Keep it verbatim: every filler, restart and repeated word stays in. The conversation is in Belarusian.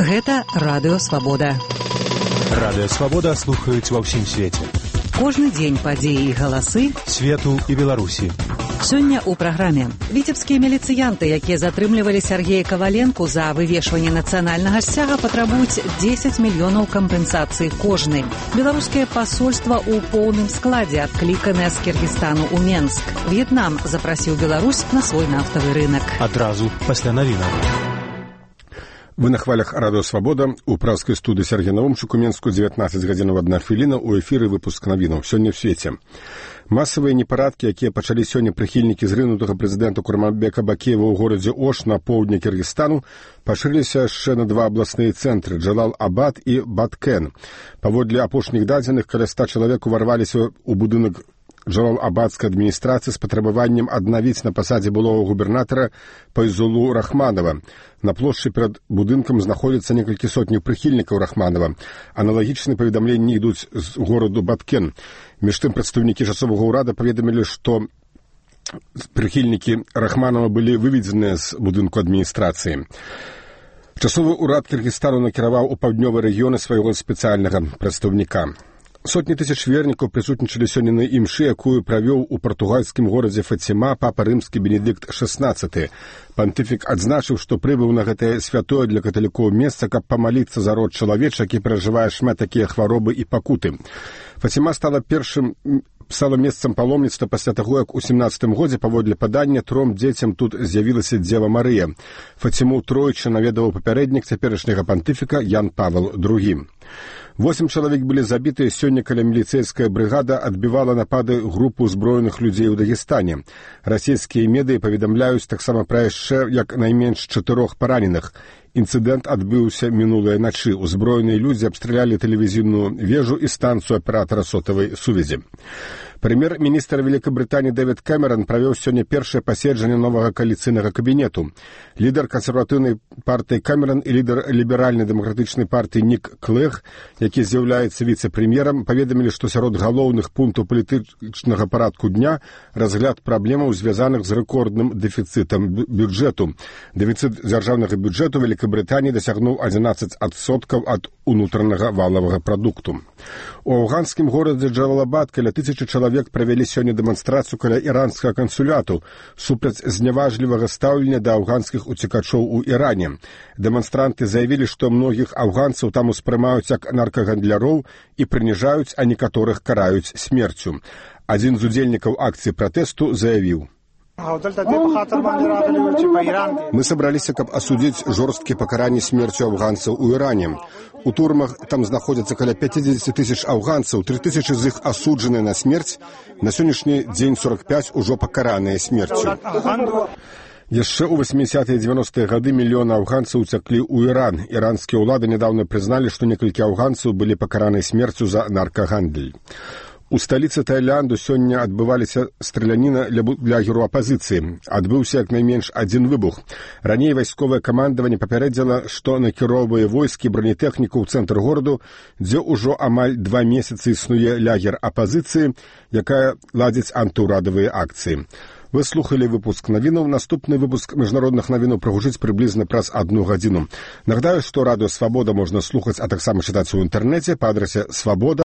Гэта Радыё Свабода. Радыё Свабода слухаюць ва ўсім свеце. Кожны дзень падзеі і галасы свету і Беларусі. Сёння ў праграме віцебскія міліцыянты, якія затрымлівалі Сергея Каваленку за вывешванне нацыянальнага сцяга, патрабуюць дзесяць мільёнаў кампенсацыі кожны. Беларускае пасольства ў поўным складзе адкліканае з Кіргізстану ў Менск. В'етнам запрасіў Беларусь на свой нафтавы рынок. Адразу пасля навінаў. Вы на хвалях Радыё Свабода. У празскай студыі Сергей Наумчук у Менску дзевятнаццаць гадзінаў адна хвіліна. У эфіры выпуск навінаў. Сёння ў свеце. Масавыя непарадкі, якія пачалі сёння прыхільнікі зрынутага прэзідэнта Курманбека Бакеева ў горадзе Ош на поўдні Кіргізстану, пашырыліся яшчэ на два абласныя цэнтры – Джалал-Абад і Баткен. Паводле апошніх дадзеных, каля ста чалавек уварваліся ў будынак Джалал-Абадскай адміністрацыі з патрабаваннем аднавіць на пасадзе былога губернатара Пайзулу Рахманова. На плошчы перад будынкам знаходзяцца некалькі сотняў прыхільнікаў Рахманова. Аналагічныя паведамленні ідуць з гораду Баткен. Між тым прадстаўнікі часовага ўрада паведамілі, што прыхільнікі Рахманова былі выведзеныя з будынку адміністрацыі. Часовы ўрад Кіргізстану накіраваў у паўднёвыя рэгіёны свайго спецыяльнага прадстаўніка. Сотні тысяч вернікаў прысутнічалі сёння на імшы, якую правёў у партугальскім горадзе Фаціма папа рымскі Бенедыкт шаснаццаты. Пантыфік адзначыў, што прыбыў на гэтае святое для каталікоў месца, каб памаліцца за род чалавеча, які перажывае шмат такія хваробы і пакуты. Фаціма стала першым стала месцам паломніцтва пасля таго, як у сямнаццатым годзе паводле падання тром дзецям тут з'явілася Дзева Марыя. Фаціму тройчы наведаваў папярэднік цяперашняга пантыфіка Ян Павел другі. Восем чалавек былі забітыя сёння, каля міліцэйская брыгада адбівала напады групу ўзброеных людзей у Дагестане. Расійскія медыі паведамляюць таксама пра яшчэ як найменш чатырох параненых. Інцыдэнт адбыўся мінулай начы. Узброеныя людзі абстралялі тэлевізійную вежу і станцыю аператара сотавай сувязі. Прэм'ер-міністр Великабрытаніі Дэвід Кэмерон правёў сёння першае паседжанне новага кааліцыйнага кабінету. Лідар кансерватыўнай партыі Кэмерон і лідар ліберальнай дэмакратычнай партыі Нік Клэг, які з'яўляецца віцэ-прэм'ерам, паведамілі, што сярод галоўных пунктаў палітычнага парадку дня разгляд праблемаў, звязаных з рэкордным дэфіцытам бюджэту. Дэфіцыт дзяржаўнага бюджэту Великабрытаніі дасягнуў адзінаццаць адсоткаў ад унутранага валавага прадукту. У афганскім горадзе Джалал-Абад каля тысячы чалавек правялі сёння дэманстрацыю каля іранскага кансуляту супраць зняважлівага стаўлення да афганскіх уцекачоў у Іране. Дэманстранты заявілі, што многіх афганцаў там успрымаюць як наркагандляроў і прыніжаюць, а некаторых караюць смерцю. Адзін з удзельнікаў акцыі пратэсту заявіў: «Мы собраліся, каб асудзіць жорсткія пакаранні смерцю афганцаў у Іране. У турмах там знаходзяцца каля пяцьдзесят тысяч афганцаў, тры тысячы з іх асуджаныя на смерць, на сённяшні дзень сорок пяць ужо пакараныя смерцю». Яшчэ ў васьмідзесятыя і дзевяностыя гады мільёны афганцаў уцяклі ў Іран. Іранскія ўлады нядаўна прызналі, што некалькі афганцаў былі пакараныя смерцю за наркагандаль. У сталіцы Таіланду сёння адбываліся страляніна для героў апазіцыі. Адбыўся як найменш адзін выбух. Раней вайсковае камандаванне папярэдзіла, што накіроўвае войскі бронетэхніку ў цэнтр гораду, дзе ўжо амаль два месяцы існуе лагер апазіцыі, якая ладзіць антыўрадавыя акцыі. Вы слухали выпуск навінаў. Наступны выпуск міжнародных навінаў прагучыць прыблізна праз адну гадзіну. Нагадаю, што Радыё Свабода можна слухаць, а таксама чытаць у інтэрнэце па адрасе свабода